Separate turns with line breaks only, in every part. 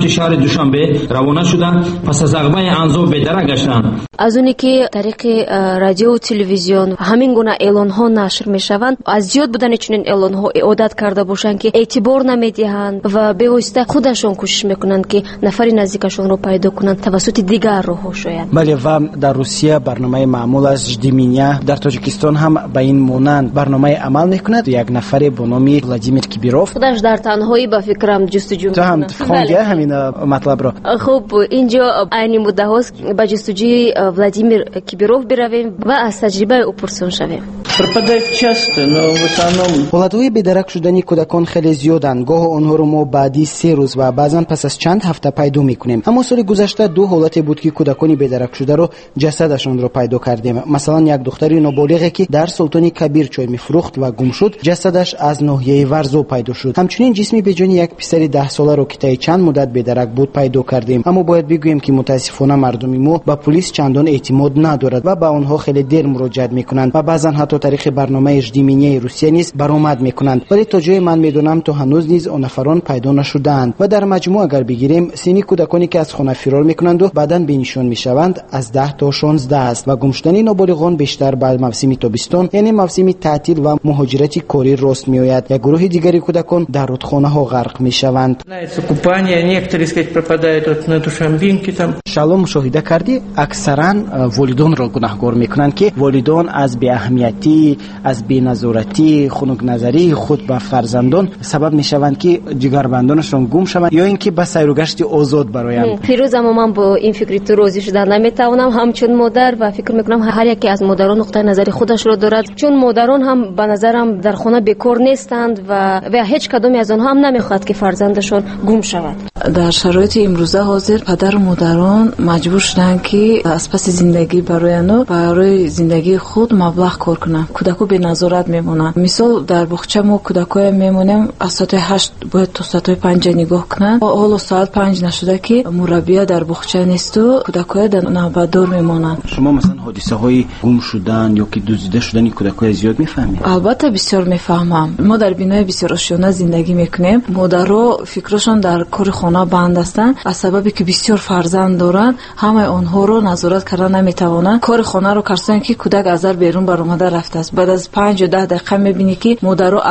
Самти шаҳри Душанбе равона шуда, пас аз ағбаи Анзоб бедарак гаштанд.
Аз оне ки тариқи радиову телевизион ҳамин гуна эълонҳо нашр мешаванд, аз зиёд будани чунин эълонҳо одат карда бошанд, ки эътибор намедиҳанд ва бевосита худашон кӯшиш мекунанд, ки нафари наздикашонро пайдо кунанд тавассути дигар роҳҳо шояд.
Бале, ва дар Русия барномаи маъмул аст «Жди меня». Дар Тоҷикистон ҳам ба ин монанд барномаи амал мекунад. Як нафаре бо номи Владимир Кибиров
худаш дар танҳоӣ, ба фикрам, ҷустуҷӯ.
Ту ҳам хонди ҳамин матлабро?
Хуб, инҷо айни муддаҳост ба ҷустуҷӯи Владимир Кибиров биравем ва аз таҷрибаи ӯ пурсон шавем.
Пропадает часто, но в основном.
Ҳолатҳои бедарак шудани кӯдакон хеле зиёданд. Гоҳо онҳоро мо баъди 3 рӯз ва баъзан пас аз чанд ҳафта пайдо мекунем. Аммо соли гузашта ду ҳолате буд, ки кӯдакони бедаракшударо ҷасадашонро пайдо кардем. Масалан, як духтари ноболиғе, ки дар Султони Кабир чой мефурӯхт ва гум шуд, ҷасадаш аз ноҳияи Варзоб пайдо шуд. Ҳамчунин ҷисми беҷони як писари 10-соларо, ки таи чанд муддат бедарак буд, пайдо кардем. Аммо бояд бигӯем, ки мутаассифона мардуми мо ба пулис чандон эътимод надорад ва ба онҳо хеле дер муроҷиат мекунанд ва баъзан ҳатто тариқи барномаи «Жди меня» и Русия низ баромад мекунанд, вале то ҷое ман медонам, то ҳанӯз низ он нафарон пайдо нашудаанд. Ва дар маҷмӯъ агар бигирем, синни кӯдаконе, ки аз хона фирор мекунанду баъдан бенишон мешаванд, аз 10 то 16 аст ва гумшудани ноболиғон бештар ба мавсими тобистон, яъне мавсими таътил ва муҳоҷирати корӣ рост меояд. Як гурӯҳи дигари кӯдакон дар рудхонаҳо ғарқ мешаванд.
Купание, некоторые, сказать, пропадают вот на Душанбинке там.
Шаҳло, мушоҳида кардӣ, аксаран волидонро гунаҳгор мекунанд, ки волидон аз беаҳамиятӣ, аз беназоратӣ, хунукназарии худ ба фарзандон сабаб мешаванд, ки ҷигарбандонашон гум шаванд ё ин ки ба сайругашти озод бароянд.
Фирӯз, аммо ман бо ин фикри ту розӣ шуда наметавонам ҳамчун модар ва фикр мекунам, ҳар яке аз модарон нуқтаи назари худашро дорад, чун модарон ҳам, ба назарам, дар хона бекор нестанд ва ҳеҷ кадоме аз онҳо ҳам намехоҳад, ки фарзандашон гум шавад.
Дар шароити имрӯза ҳозир падару модарон маҷбур шуданд, ки аз паси зиндагӣ барояну барои зиндагии худ маблағ кор кунанд. Кӯдако беназорат мемонанд. Мисол, дар боғча мо кӯдакоя мемонем, аз соати 8 бояд то соатҳои 5 нигоҳ кунанд. Ҳоло соат 5 нашуда, ки мураббия дар боғча несту кӯдакоя дар навбатдор мемонанд.
Шумо, масалан, ҳодисаҳои гум шудан ё ки дуздида шудани кӯдакоя зиёд мефаҳмед?
Албатта, бисёр мефаҳмам. Мо дар бинои бисёрошёна зиндагӣ мекунем. Модаро фикрашон дар кори хона банд ҳастанд. Аз сабабе ки бисёр фарзанд доранд, ҳамаи онҳоро назорат карда наметавонанд. Кори хонаро карсоянд, ки кӯдак аз дар берун баромада рафтааст. Баъд аз 5 ё 10 дақиқа мебинӣ, ки модаро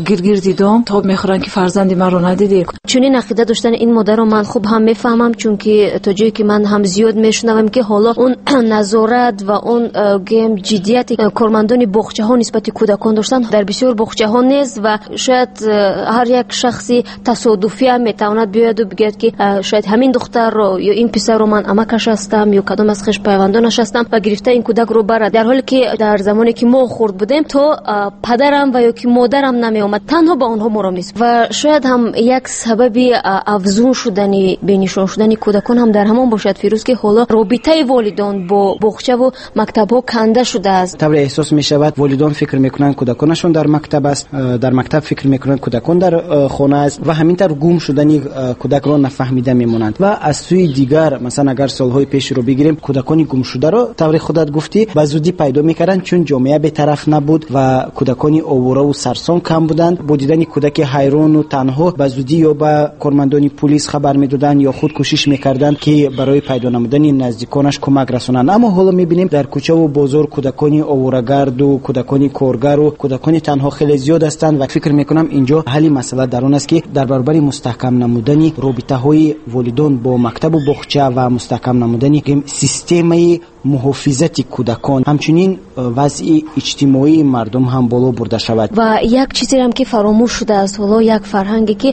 гиргирди дом тоб мехӯранд, ки фарзанди маро надидӣ.
Чунин ақида доштани ин модарро ман хуб ҳам мефаҳмам, чунки то ҷое ки ман ҳам зиёд мешунавам, ки ҳоло он назорат ва он гӯем ҷиддияти кормандони боғчаҳо нисбати кӯдакон доштан дар бисёр боғчаҳо нест ва шояд ҳар як шахси тасодуфиам метавонад биёяду бигӯяд, ки шояд ҳамин духтарро ё ин писарро ман амакаш ҳастам ё кадом аз хешпайвандонаш ҳастам ва гирифта ин кӯдакро барад. Дар ҳоле ки дар замоне ки мо хурд будем, то падарам ва ё ки модарам намеомад, танҳо ба онҳо моро мес. Ва шояд ҳам як сабаби афзун шудани бенишон шудани кӯдакон ҳам дар ҳамон бошад, Фирӯз, ки ҳоло робитаи волидон бо боғчаву мактабҳо канда шудааст.
Тавре эҳсос мешавад, волидон фикр мекунанд, кӯдаконашон дар мактаб аст, дар мактаб фикр мекунанд, кӯдакон дар хона аст ва ҳамин тавр гум шудани кӯдакро нафаҳмида мемонанд. Ва аз сӯи дигар, масалан, агар солҳои пешро бигирем, кӯдакони гумшударо, тавре худат гуфтӣ, ба зудӣ пайдо мекарданд, чун ҷомеа бетараф набуд ва кӯдакони оворау сарсон кам буданд. Бо дидани кӯдаки ҳайрону танҳо ба зудӣ ё ба кормандони пулис хабар медоданд ё худ кӯшиш мекарданд, ки барои пайдо намудани наздиконаш кӯмак расонанд. Аммо ҳоло мебинем, дар кӯчаву бозор кӯдакони оворагарду, кӯдакони коргару кӯдакони танҳо хеле зиёд ҳастанд. Ва фикр мекунам, инҷо ҳалли масъала дар он аст, ки дар баробари мустаҳкам намудани робитаҳои волидон бо мактабу боғча ва мустаҳкам намудани системаи муҳофизати кӯдакон, ҳамчунин вазъи иҷтимоии мардум ҳам боло бурда шавад.
Ва як чизерам, ки фаромӯш шудааст ҳоло, як фарҳанге, ки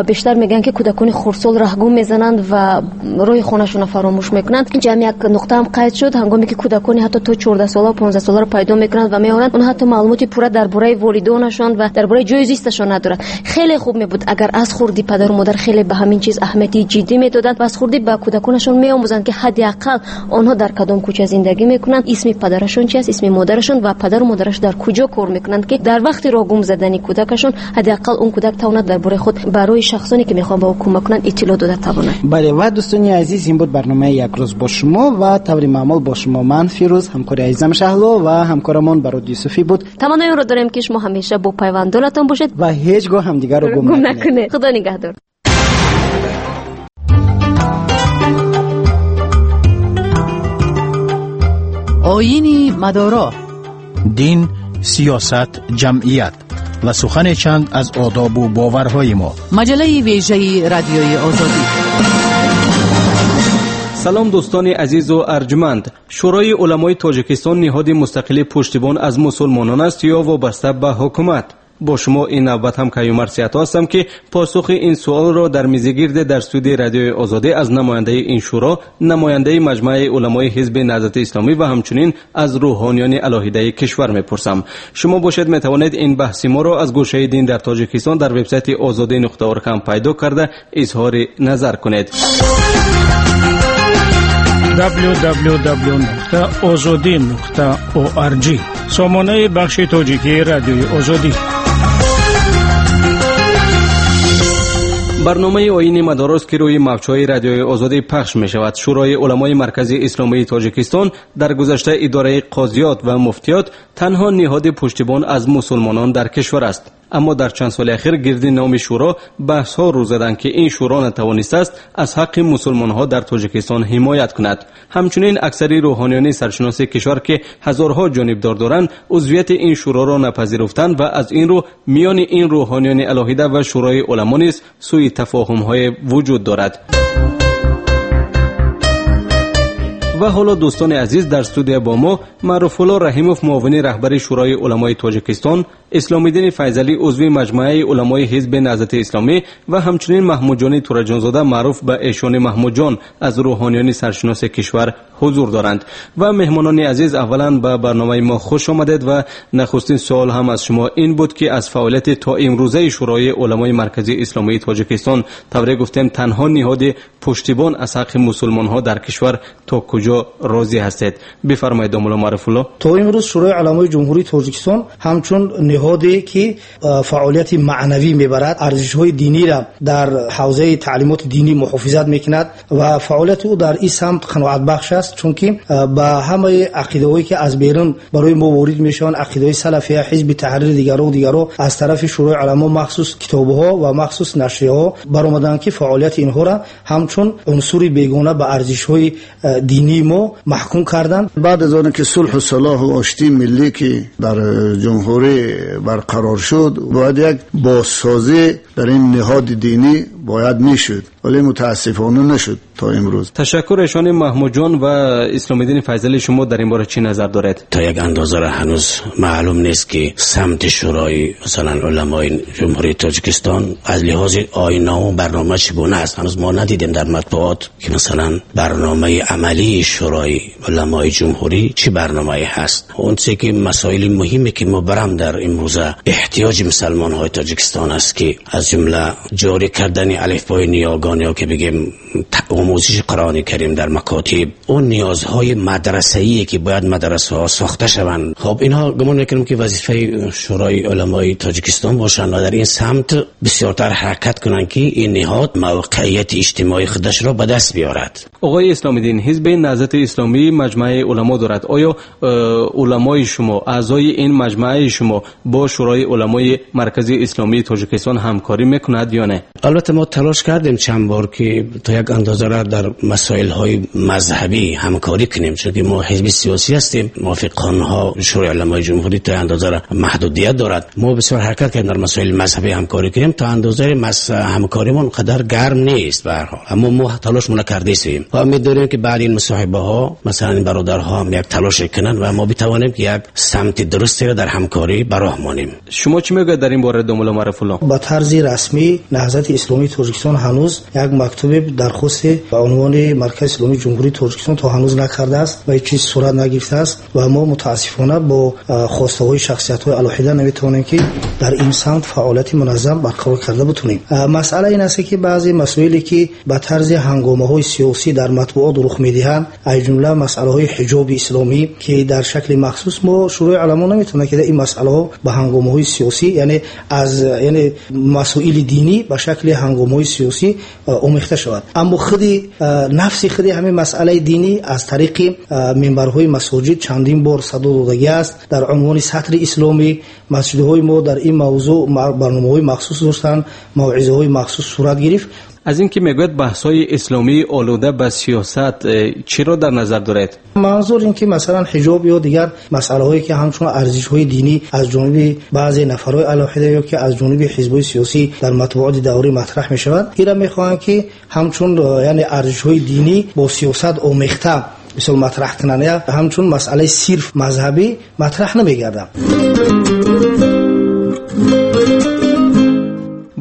бештар мегӯянд, ки кӯдакони хурдсол раҳгум мезананд ва роҳи хонашонро фаромӯш мекунанд. Инҷа ҳам як нуқтаам қайд шуд: ҳангоме ки кӯдакони ҳатто то 14-сола, 15-соларо пайдо мекунанд ва меоранд, онҳо ҳатто маълумоти пурра дар бораи волидонашон ва дар бораи ҷои зисташон надоранд. Хеле хуб мебуд, агар аз хурдӣ падару модар хеле ба ҳамин чиз аҳамияти ҷиддӣ медоданд ва аз хурдӣ ба кӯдаконашон меомӯзанд, ки ҳадди ақал онҳо дар кадом кӯча зиндагӣ мекунанд, исми падарашон чи аст, исми модарашон ва падару модараш дар куҷо кор мекунанд, ки дар вақти роҳ гум задани кӯдакашон ҳадди ақал он кӯдак тавонад дар бораи худ барои шахсоне, ки мехоҳанд ба ӯ кӯмак кунанд, иттилоъ дода тавонад.
Бале, ва дӯстони азиз, ин буд барномаи «Як рӯз бо шумо» ва таври маъмул бо шумо ман, Фирӯз, ҳамкори азизам Шаҳло ва ҳамкорамон Барод Юсуфӣ буд.
Таманнои онро дорем, ки шумо ҳамеша бо пайвандонатон бошед
ва ҳеҷ гоҳ ҳамдигарро гум
накунед. Худо нигаҳдор.
Оини мадоро,
дин, сиёсат, ҷамъият ва сухане чанд аз одобу боварҳои мо.
Маҷаллаи вежаи Радиои Озодӣ.
Салом, дӯстони азизу арҷманд. Шӯрои уламои Тоҷикистон ниҳоди мустақили пуштибон аз мусулмонон аст ё вобаста ба ҳукумат? Бо шумо ин навбат ҳам Каюмар Сиято ҳастам, ки посухи ин суолро дар мизи гирде дар студияи Радиои Озодӣ аз намояндаи ин шӯро, намояндаи Маҷмааи уламои Ҳизби Наҳзати Исломӣ ва ҳамчунин аз рӯҳониёни алоҳидаи кишвар мепурсам. Шумо бошед, метавонед ин баҳси моро аз гӯшаи дин дар Тоҷикистон дар вебсайти озодӣ нуқта орг ҳам пайдо карда изҳори назар кунед.
www.ozodi.org, сомонаи бахши тоҷикии Радиои Озодӣ.
Барномаи Оини мадорост, ки рӯи мавҷҳои Радиои Озодӣ пахш мешавад. Шӯрои уламои Маркази Исломии Тоҷикистон, дар гузашта идораи қозиёт ва муфтиёт, танҳо ниҳоди пуштибон аз мусулмонон дар кишвар аст. Аммо дар чанд соли ахир гирди номи шӯро баҳсҳо рӯ заданд, ки ин шӯро натавонистааст аз ҳаққи мусулмонҳо дар Тоҷикистон ҳимоят кунад. Ҳамчунин аксари рӯҳониёни саршиноси кишвар, ки ҳазорҳо ҷонибдор доранд, узвияти ин шӯроро напазируфтанд ва аз ин рӯ миёни ин рӯҳониёни алоҳида ва Шӯрои уламо низ сӯи тафоҳумҳое вуҷуд дорад. Ва ҳоло, дӯстони азиз, дар студия бо мо Маъруфулло Раҳимов, муовини раҳбари Шӯрои уламои Тоҷикистон, Исломиддини Файзалӣ, узви Маҷмааи уламои Ҳизби Наҳзати Исломӣ ва ҳамчунин Маҳмудҷони Тураҷонзода, маъруф ба Эшони Маҳмудҷон, аз рӯҳониёни саршиноси кишвар ҳузур доранд. Ва меҳмонони азиз, аввалан ба барномаи мо хуш омадед ва нахустин суол ҳам аз шумо ин буд, ки аз фаъолияти то имрӯзаи Шӯрои уламои Марказии Исломии Тоҷикистон, тавре гуфтем, танҳо ниҳоди пуштибон аз ҳаққи мусулмонҳо дар кишвар, то куҷо розӣ ҳастед? Бифармоед, домулло Маъруфулло.
То имрӯз Шӯрои уламои Ҷумҳурии Тоҷикистон ҳамчун ниҳоде ки фаъолияти маънавӣ мебарад, арзишҳои диниро дар ҳавзаи таълимоти динӣ муҳофизат мекунад ва фаъолияти ӯ дар ин самт қаноатбахш аст, чунки ба ҳамаи ақидаҳое ки аз берун барои мо ворид мешаванд, ақидаҳои салафия, Ҳизби Таҳрир, дигаро аз тарафи Шӯрои уламо махсус китобҳо ва махсус нашрияҳо баромаданд, ки фаъолияти инҳоро ҳамчун унсури бегона ба арзишҳои динии мо маҳкум карданд.
Баъд аз оне ки сулҳу салоҳу оштии миллӣ ки дар ҷумҳурӣ барқарор шуд, бояд як бозсозӣ дар ин ниҳоди динӣ бояд мешуд, вале мутаассифона нашуд то имрӯз.
Ташаккур, Эшони Маҳмудҷон ва Исломиддини Файзалӣ, шумо дар ин бора чӣ назар доред?
То як андоза ҳанӯз маълум нест, ки самти Шӯрои масалан уламои Ҷумҳурии Тоҷикистон аз лиҳози оинному барнома чӣ гуна аст. Ҳанӯз мо надидем дар матбуот, ки масалан барномаи амалии Шӯрои уламои ҷумҳурӣ чӣ барномае ҳаст. Он чизе ки масоили муҳиме ки мубрам дар имрӯза эҳтиёҷи мусалмонҳои Тоҷикистон аст, ки аз ҷумла ҷорӣ кардани алифбои ниёгон ё ки бигем омӯзиши Қуръони Карим дар макотиб, он ниёзҳои мадрасаие ки бояд мадрасаҳо сохта шаванд. Хоб, инҳо гумон мекунам, ки вазифаи Шӯрои уламои Тоҷикистон бошанд ва дар ин самт бисёртар ҳаракат кунанд, ки ин ниҳод мавқеияти иҷтимоии худашро ба даст биёрад.
Оғои Исломиддин, Ҳизби Наҳзати Исломӣ Маҷмааи уламо дорад. Оё уламои шумо, аъзои ин маҷмааи шумо бо Шӯрои уламои Маркази Исломии Тоҷикистон ҳамкорӣ мекунад ё не?
Албатта, мо талош кардем чанд бор, ки то як андоза را در مسائل مذهبی همکاری کنیم، چون که ما حزب سیاسی هستیم، موافق قانون‌ها شورای علمای جمهوری تا اندازه را محدودیت دارد. ما بسیار حرکت کردیم در مسائل مذهبی همکاری کنیم، تا اندازه همکاریمون قدر گرم نیست به هر حال، اما ما تلاشمون کرده ایم و امید داریم که بعد این مصاحبه ها مثلا این برادرها هم یک تلاش کنند و ما بتوانیم که یک سمت درستی را در همکاری براه مانیم.
شما چی میگید در این باره домулло Маъруфулло?
Ба тарзи расмӣ Наҳзати Исломии Тоҷикистон ҳанӯз як мактуби дархосте ба унвони Маркази Исломии Ҷумҳурии Тоҷикистон то ҳанӯз накардааст ва ҳеҷ чиз сурат нагирифтааст ва мо мутаассифона бо хостаҳои шахсиятҳои алоҳида наметавонем, ки дар ин самт фаъолияти муназзам барқарор карда бутунем. Масъала ин аст, ки баъзе масоиле ки ба тарзи ҳангомаҳои сиёсӣ дар матбуот рух медиҳанд, аз ҷумла масъалаҳои ҳиҷоби исломӣ, ки дар шакли махсус мо Шӯрои уламо наметавонад, ки ин масъалаҳо ба ҳангомаҳои сиёсӣ, яъне аз яъне масоили динӣ ба шакли ҳангомаҳои сиёсӣ омехта шавад. Аммо худи нафси худи ҳамин масъалаи динӣ аз тариқи минбарҳои масоҷид чандин бор садо додагӣ аст. Дар унвони сатри исломӣ масҷидҳои мо дар ин мавзӯъ барномаҳои махсус доштанд, мавъизаҳои махсус сурат гирифт.
Аз ин ки мегӯяд баҳсҳои исломии олуда ба сиёсат чиро дар назар доред?
Манзур ин ки масалан ҳиҷоб ё дигар масъалаҳое ки ҳамчун арзишҳои динӣ аз ҷониби баъзе нафарҳои алоҳида ё ки аз ҷониби ҳизбҳои сиёсӣ дар матбуоти даврӣ матраҳ мешавад, инро мехоҳанд ки ҳамчун яъне арзишҳои динӣ бо сиёсат омехта мисол матраҳ кунанд, ҳамчун масъалаи сирф мазҳабӣ матраҳ намегарданд.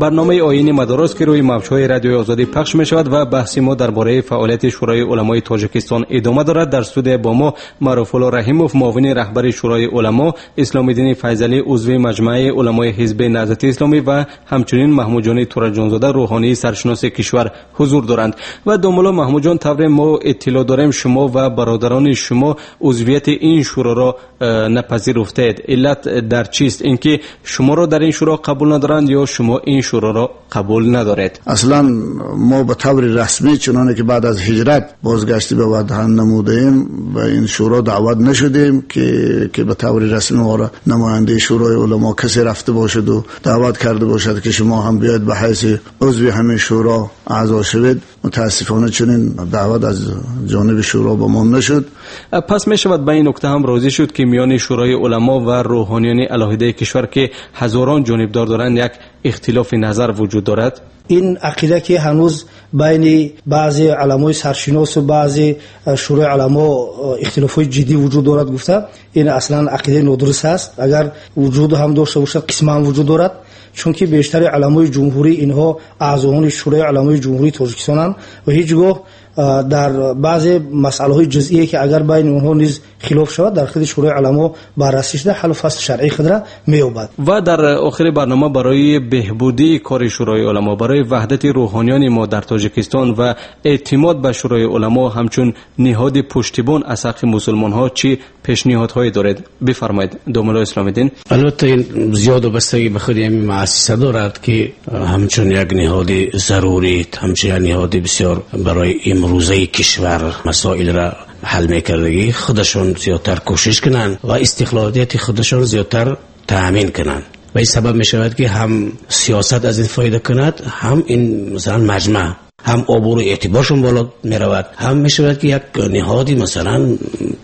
Барномаи оини мадорост ки рӯи мавҷҳои радиои озодӣ пахш мешавад ва баҳси мо дар бораи фаъолияти Шӯрои уламои Тоҷикистон идома дорад. Дар студия бо мо Маъруфулло Раҳимов, муовини раҳбари Шӯрои уламо, Исломиддини Файзалӣ, узви маҷмааи уламои ҳизби Наҳзати Исломӣ ва ҳамчунин Маҳмудҷони Тураҷонзода, рӯҳонии саршиноси кишвар ҳузур доранд. Ва домулло Маҳмудҷон, тавре мо иттилоъ дорем, шумо ва бародарони шумо узвияти ин шӯроро напазируфтаед. Иллат дар чист? Ин ки шуморо дар ин шӯро қабул надоранд ё шумо ин шӯроро қабул надоред?
Аслан мо ба таври расмӣ чуноне ки баъд аз ҳиҷрат бозгаштӣ ба ватан намудаем, ба ин шӯро даъват нашудем ки ба таври расмӣ моро намояндаи Шӯрои уламо касе рафта бошад ва даъват карда бошад ки шумо ҳам биёед ба ҳайси узви ҳамин шӯро аъзо шавед. Мутаассифона чунин даъват аз ҷониби шӯро ба мо нашуд.
Пас мешавад ба ин нукта ҳам розӣ шуд ки миёни Шӯрои уламо ва рӯҳониёни алоҳидаи кишвар ки ҳазорон ҷонибдор доранд як ихтилофи назар вуҷуд дорад?
Ин ақида ки ҳанӯз байни баъзе уламои саршинос ва баъзе шӯрои уламо ихтилофҳои ҷиддӣ вуҷуд дорад гуфта, ин аслан ақидаи нодуруст аст. Агар вуҷуд ҳам дошта бошад, қисман вуҷуд дорад, чунки бештари уламои ҷумҳурӣ инҳо аъзоёни Шӯрои уламои ҷумҳурии Тоҷикистонанд ва ҳеҷ гоҳ дар баъзе масъалаҳои ҷузъие ки агар байни онҳо низ хилоф шавад, дар худи Шӯрои уламо баррасӣ шуда ҳаллу фасли шаръии худро меёбад.
Ва дар охири барнома барои беҳбудии кори Шӯрои уламо, барои ваҳдати рӯҳониёни мо дар Тоҷикистон ва эътимод ба Шӯрои уламо ҳамчун ниҳоди пуштибон аз ҳаққи мусулмонҳо чӣ пешниҳодҳое доред? Бифармоед домулло Исломиддин.
Албатта ин зиёд вобастагӣ ба худи ҳамин муассиса дорад ки ҳамчун як ниҳоди зарурӣ, ҳамчун як ниҳоди бисёр барои имрӯзаи кишвар масоилро ҳал мекардагӣ худашон зиёдтар кӯшиш кунанд ва истиқлолияти худашон зиёдтар таъмин кунанд. Ва ин сабаб мешавад ки ҳам сиёсат аз ин фоида кунад, ҳам ин масалан маҷмаъ, ҳам обрӯ эътиборшон боло меравад, ҳам мешавад ки як ниҳоди масалан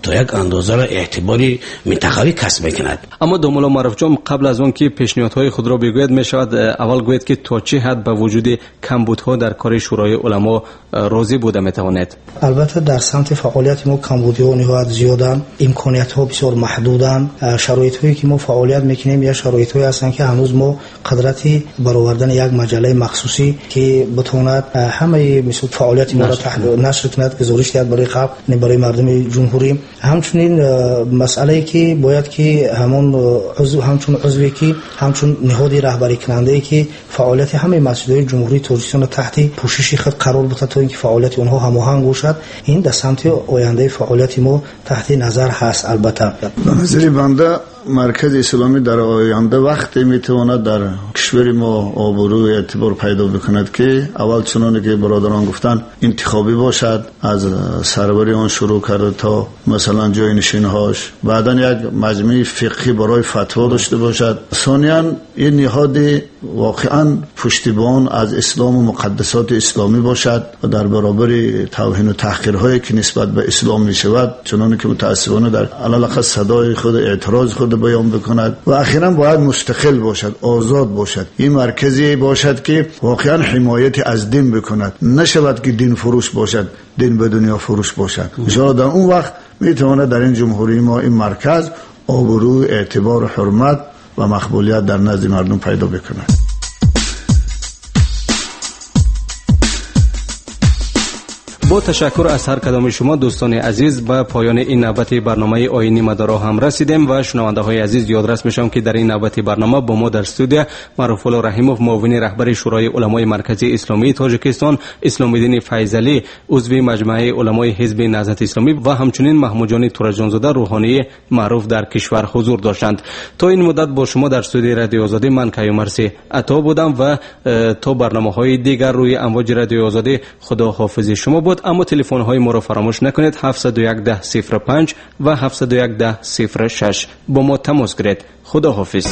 то як андозаро эътибори минтақавӣ касб мекунад.
Аммо домулло Маъруфҷон, қабл аз он ки пешниҳодҳои худро бигӯяд, мешавад аввал гӯяд ки то чӣ ҳад ба вуҷуди камбудҳо дар кори Шӯрои уламо розӣ буда метавонед?
Албатта дар самти фаъолияти мо камбудиҳо ниҳоят зиёданд, имкониятҳо бисёр маҳдуданд. Шароитҳое ки мо фаъолият мекунем як шароитҳое ҳастанд ки ҳанӯз мо қудрати баровардани як маҷаллаи махсусӣ ки битавонад ҳамаи мисол фаъолияти моро нашр кунад, гузориш диҳад барои халқ, барои мардуми ҷумҳурӣ. Ҳамчунин масъалае ки бояд ки ҳамон ҳамчун узве ки ҳамчун ниҳоди раҳбарикунандае ки фаъолияти ҳамаи масҷидҳои ҷумҳурии Тоҷикистонро таҳти пӯшиши худ қарор диҳад то инки фаъолияти онҳо ҳамоҳанг бошад, ин дар самти ояндаи фаъолияти мо таҳти назар ҳаст. Албатта
ба назари банда маркази исломӣ дар оянда вақте метавонад дар кишвари мо обрӯ эътибор пайдо бикунад ки аввал чуноне ки бародарон гуфтанд интихобӣ бошад, аз сарвари он шурӯъ карда то масалан ҷойнишинҳош, баъдан як маҷмӯи фиқҳӣ барои фатво дошта бошад. Сониян ин ниҳоди воқеан пуштибон аз ислом ва муқаддасоти исломӣ бошад ва дар баробари тавҳину таҳқирҳое ки нисбат ба ислом мешавад, чуноне ки мутаассифона дар алалақал садои худ эътирози худ баён бикунад ва ахиран бояд мустақил бошад, озод бошад. Ин марказе бошад ки воқеан ҳимояти аз дин бикунад, нашавад ки дин фурӯш бошад, дин ба дунё фурӯш бошад. иншоаллоҳ дар он вақт метавонад дар ин ҷумҳурии мо ин марказ обрӯ, эътибор, ҳурмат ва мақбулият дар назди мардум пайдо бикунад.
Бо ташаккур аз ҳар кадоми шумо дӯстони азиз ба поёни ин навбати барномаи оини мадоро ҳам расидем ва шунавандаҳои азиз ёдрас мешавам ки дар ин навбати барнома бо мо дар студия Маъруфулло Раҳимов, муовини раҳбари Шӯрои уламои Марказии Исломии Тоҷикистон, Исломиддини Файзалӣ, узви маҷмааи уламои ҳизби Наҳзати Исломӣ ва ҳамчунин Маҳмудҷони Тураҷонзода, рӯҳонии маъруф дар кишвар ҳузур доштанд. То ин муддат бо шумо дар студияи Радиои Озодӣ ман Каюмарси Ато будам ва то барномаҳои дигар рӯи амвоҷи Радиои Озодӣ худоҳофизи шумо буд. Аммо телефонҳои моро фаромӯш накунед: 701 10 05 ва 701 10 06. Бо мо тамос гиред. Худоҳофиз.